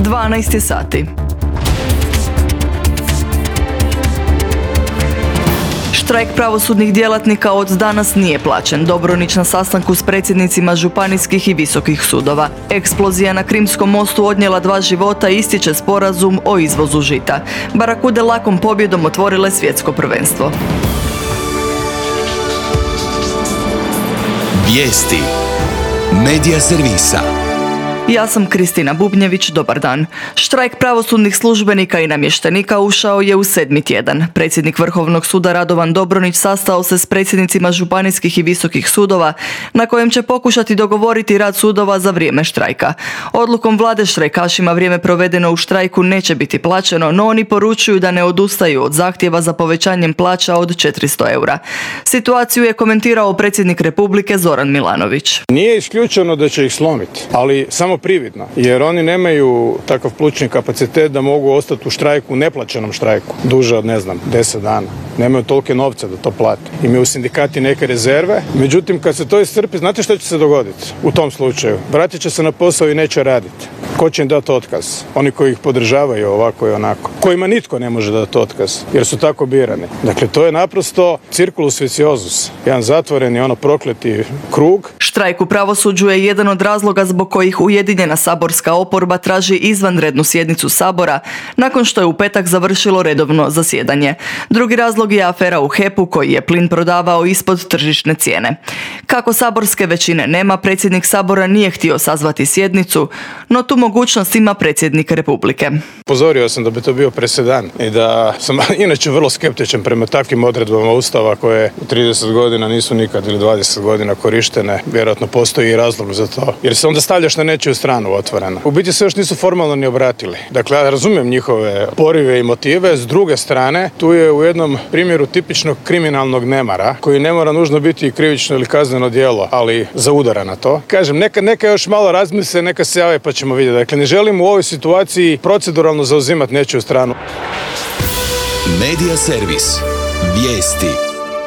12 sati. Štrajk pravosudnih djelatnika od danas nije plaćen. Dobronić na sastanku s predsjednicima županijskih i visokih sudova. Eksplozija na Krimskom mostu odnijela 2 života i ističe sporazum o izvozu žita. Barakude lakom pobjedom otvorile svjetsko prvenstvo. Vijesti Medija servisa. Ja sam Kristina Bubnjević, dobar dan. Štrajk pravosudnih službenika i namještenika ušao je u 7. tjedan. Predsjednik Vrhovnog suda Radovan Dobronić sastao se s predsjednicima županijskih i visokih sudova, na kojem će pokušati dogovoriti rad sudova za vrijeme štrajka. Odlukom vlade štrajkašima vrijeme provedeno u štrajku neće biti plaćeno, no oni poručuju da ne odustaju od zahtjeva za povećanjem plaća od 400 eura. Situaciju je komentirao predsjednik Republike Zoran Milanović. Nije isključeno da će ih slomiti, ali samo prividno, jer oni nemaju takav plućni kapacitet da mogu ostati u štrajku, neplaćenom štrajku, duže od 10 dana. Nemaju tolike novce da to plate. Imaju u sindikati neke rezerve, međutim kad se to iscrpi, znate što će se dogoditi u tom slučaju? Vratit će se na posao i neće raditi. Ko će im dati otkaz? Oni koji ih podržavaju ovako i onako. Kojima nitko ne može dati otkaz, jer su tako birani. Dakle, to je naprosto circulus viciosus, jedan zatvoreni, prokleti krug. Štrajk u pravosuđu je jedan od razloga zbog kojih Ujedinjena saborska oporba traži izvanrednu sjednicu Sabora nakon što je u petak završilo redovno zasjedanje. Drugi razlog je afera u HEP-u koji je plin prodavao ispod tržišne cijene. Kako saborske većine nema, predsjednik Sabora nije htio sazvati sjednicu, no tu mogućnost ima predsjednik Republike. Upozorio sam da bi to bio presedan i da sam inače vrlo skeptičan prema takvim odredbama Ustava koje u 30 godina nisu nikad ili 20 godina korištene. Vjerojatno postoji i razlog za to, jer se onda stavljaš na nečiju stranu otvorena. U biti se još nisu formalno ni obratili. Dakle, ja razumijem njihove porive i motive. S druge strane, tu je u jednom primjeru tipičnog kriminalnog nemara, koji ne mora nužno biti krivično ili kazneno djelo, ali zaudara na to. Kažem, neka još malo razmisle, neka se jave pa ćemo vidjeti. Dakle, ne želim u ovoj situaciji proceduralno zauzimati nečiju stranu. Medija servis. Vijesti.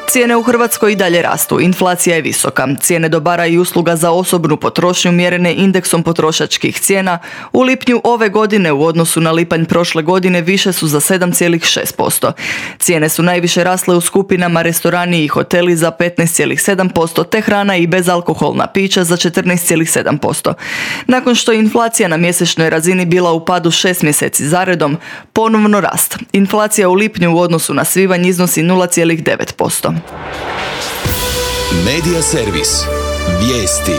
Cijene u Hrvatskoj i dalje rastu, inflacija je visoka. Cijene dobara i usluga za osobnu potrošnju mjerene indeksom potrošačkih cijena u lipnju ove godine u odnosu na lipanj prošle godine više su za 7,6%. Cijene su najviše rasle u skupinama restorani i hoteli za 15,7%, te hrana i bezalkoholna pića za 14,7%. Nakon što je inflacija na mjesečnoj razini bila u padu 6 mjeseci zaredom, ponovno rast. Inflacija u lipnju u odnosu na svibanj iznosi 0,9%. Medija servis. Vijesti.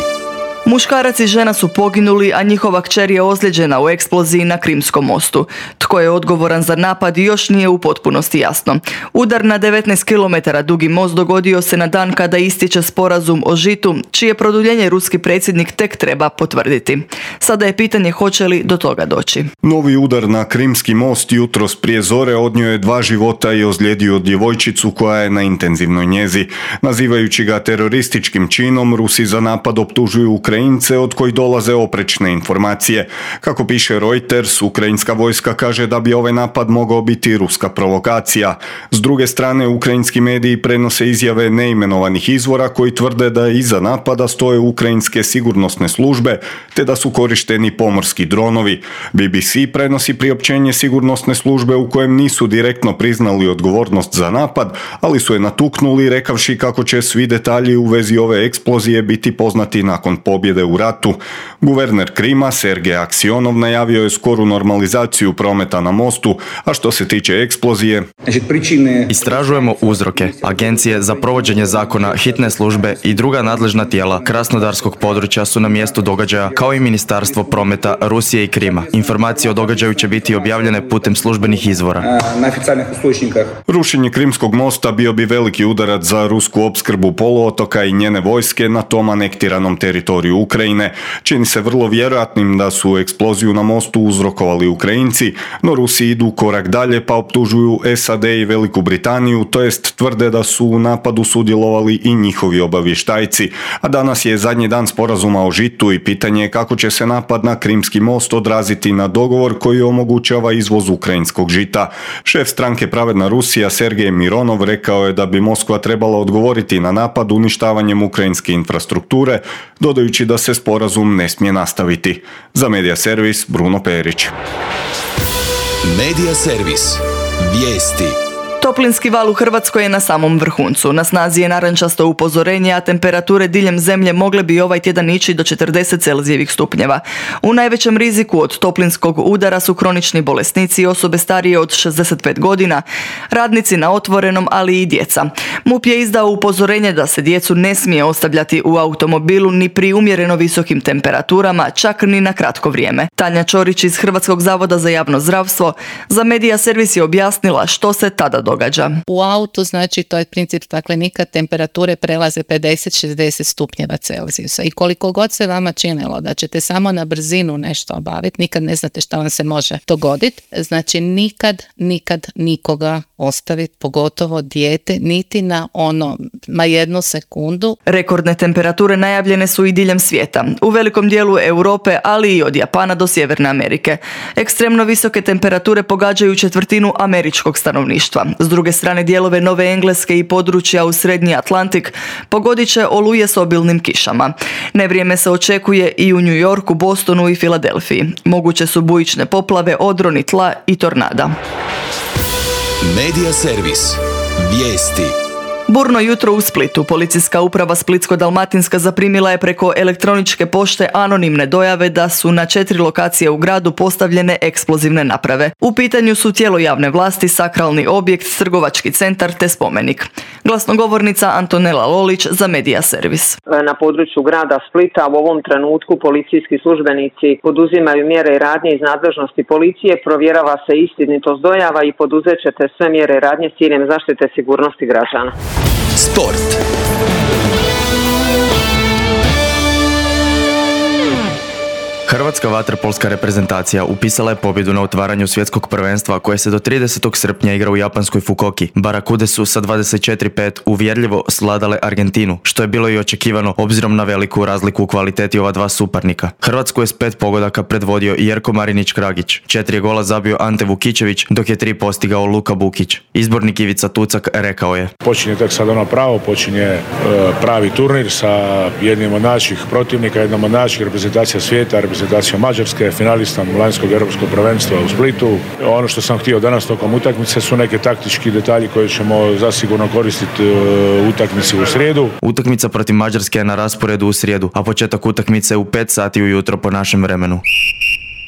Muškarac i žena su poginuli, a njihova kćer je ozlijeđena u eksploziji na Krimskom mostu. Tko je odgovoran za napad još nije u potpunosti jasno. Udar na 19 km dugi most dogodio se na dan kada ističe sporazum o žitu, čije produljenje ruski predsjednik tek treba potvrditi. Sada je pitanje hoće li do toga doći. Novi udar na Krimski most jutros prije zore odnio je 2 života i ozlijedio djevojčicu koja je na intenzivnoj njezi. Nazivajući ga terorističkim činom, Rusi za napad optužuju Ukrajince od kojih dolaze oprečne informacije. Kako piše Reuters, ukrajinska vojska kaže da bi ovaj napad mogao biti ruska provokacija. S druge strane, ukrajinski mediji prenose izjave neimenovanih izvora koji tvrde da iza napada stoje ukrajinske sigurnosne službe te da su korišteni pomorski dronovi. BBC prenosi priopćenje sigurnosne službe u kojem nisu direktno priznali odgovornost za napad, ali su je natuknuli rekavši kako će svi detalji u vezi ove eksplozije biti poznati nakon pobjede u ratu. Guverner Krima, Sergej Aksionov, najavio je skoru normalizaciju prometa na mostu, a što se tiče eksplozije... Istražujemo uzroke. Agencije za provođenje zakona, hitne službe i druga nadležna tijela Krasnodarskog područja su na mjestu događaja, kao i Ministarstvo prometa Rusije i Krima. Informacije o događaju će biti objavljene putem službenih izvora. Rušenje Krimskog mosta bio bi veliki udarac za rusku opskrbu poluotoka i njene vojske na tom anektiranom teritoriju Ukrajine. Čini se vrlo vjerojatnim da su eksploziju na mostu uzrokovali Ukrajinci, no Rusi idu korak dalje pa optužuju SAD i Veliku Britaniju, to jest tvrde da su u napadu sudjelovali i njihovi obavještajci. A danas je zadnji dan sporazuma o žitu i pitanje je kako će se napad na Krimski most odraziti na dogovor koji omogućava izvoz ukrajinskog žita. Šef stranke Pravedna Rusija Sergej Mironov rekao je da bi Moskva trebala odgovoriti na napad uništavanjem ukrajinske infrastrukture, dodajući da se sporazum ne smije nastaviti. Za Medija servis Bruno Perić. Medija servis. Vijesti. Toplinski val u Hrvatskoj je na samom vrhuncu. Na snazi je narančasto upozorenje, a temperature diljem zemlje mogle bi ovaj tjedan ići do 40 Celzijevih stupnjeva. U najvećem riziku od toplinskog udara su kronični bolesnici i osobe starije od 65 godina, radnici na otvorenom, ali i djeca. MUP je izdao upozorenje da se djecu ne smije ostavljati u automobilu ni pri umjereno visokim temperaturama, čak ni na kratko vrijeme. Tanja Čorić iz Hrvatskog zavoda za javno zdravstvo za Medija servis je objasnila što se tada događa. U autu, znači, to je princip staklenika, temperature prelaze 50-60 stupnjeva Celzijusa i koliko god se vama činilo da ćete samo na brzinu nešto obaviti, nikad ne znate šta vam se može dogoditi, znači nikad nikoga ostaviti, pogotovo dijete, niti na jednu sekundu. Rekordne temperature najavljene su i diljem svijeta, u velikom dijelu Europe, ali i od Japana do Sjeverne Amerike. Ekstremno visoke temperature pogađaju četvrtinu američkog stanovništva. S druge strane, dijelove Nove Engleske i područja u Srednji Atlantik pogodit će oluje s obilnim kišama. Nevrijeme se očekuje i u New Yorku, Bostonu i Filadelfiji. Moguće su bujične poplave, odroni tla i tornada. Medija servis. Vijesti. Burno jutro u Splitu. Policijska uprava Splitsko-dalmatinska zaprimila je preko elektroničke pošte anonimne dojave da su na 4 lokacije u gradu postavljene eksplozivne naprave. U pitanju su tijelo javne vlasti, sakralni objekt, trgovački centar te spomenik. Glasnogovornica Antonela Lolić za Medija servis. Na području grada Splita u ovom trenutku policijski službenici poduzimaju mjere i radnje iz nadležnosti policije, provjerava se istinitost dojava i poduzet ćete sve mjere i radnje s ciljem zaštite sigurnosti građana. Sport. Hrvatska vaterpolska reprezentacija upisala je pobjedu na otvaranju svjetskog prvenstva koje se do 30. srpnja igra u japanskoj Fukuoki. Barakude su sa 24-5 uvjerljivo sladale Argentinu, što je bilo i očekivano obzirom na veliku razliku u kvaliteti ova dva suparnika. Hrvatsku je s 5 pogodaka predvodio Jerko Marinić-Kragić. 4 gola zabio Ante Vukićević, dok je 3 postigao Luka Bukić. Izbornik Ivica Tucak rekao je: Počinje tek sad pravo, počinje pravi turnir sa jednim od naših protivnika, jednom od naših reprezentacija svijeta, reprezentacija Mađarske, finalistom lanjskog europskog prvenstva u Splitu. Ono što sam htio danas tokom utakmice su neke taktički detalji koje ćemo zasigurno koristiti u utakmici u srijedu. Utakmica protiv Mađarske je na rasporedu u srijedu, a početak utakmice u 5 sati ujutro po našem vremenu.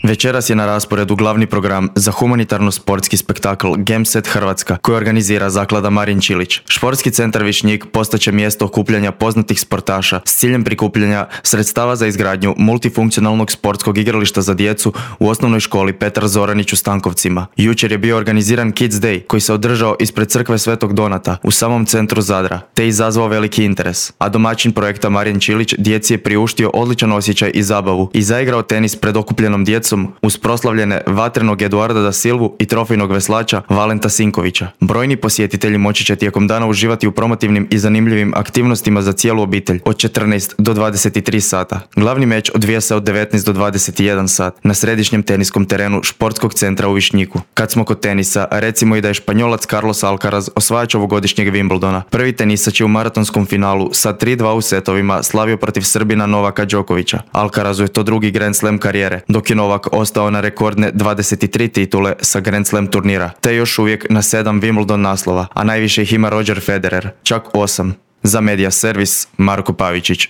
Večeras je na rasporedu glavni program za humanitarno-sportski spektakl Gameset Hrvatska koji organizira zaklada Marin Čilić. Športski centar Višnjik postaće mjesto okupljanja poznatih sportaša s ciljem prikupljanja sredstava za izgradnju multifunkcionalnog sportskog igrališta za djecu u osnovnoj školi Petar Zoranić u Stankovcima. Jučer je bio organiziran Kids Day koji se održao ispred crkve Svetog Donata u samom centru Zadra, te izazvao veliki interes. A domaćin projekta Marin Čilić djeci je priuštio odličan osjećaj i zabavu i zaigrao tenis pred okupljenom djecom uz proslavljene vatrenog Eduarda da Silvu i trofejnog veslača Valenta Sinkovića. Brojni posjetitelji moći će tijekom dana uživati u promotivnim i zanimljivim aktivnostima za cijelu obitelj od 14 do 23 sata. Glavni meč odvija se od 19 do 21 sat na središnjem teniskom terenu Športskog centra u Višnjiku. Kad smo kod tenisa, recimo i da je Španjolac Carlos Alcaraz osvajač ovogodišnjeg Wimbledona. Prvi tenisač je u maratonskom finalu sa 3-2 u setovima slavio protiv Srbina Novaka Đokovića. Alcarazu je to drugi Grand Slam karijere, dok je Novak ostao na rekordne 23 titule sa Grand Slam turnira, te još uvijek na 7 Wimbledon naslova, a najviše ih ima Roger Federer, čak 8. Za Medija servis Marko Pavičić.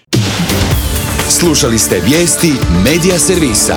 Slušali ste vijesti Medija servisa.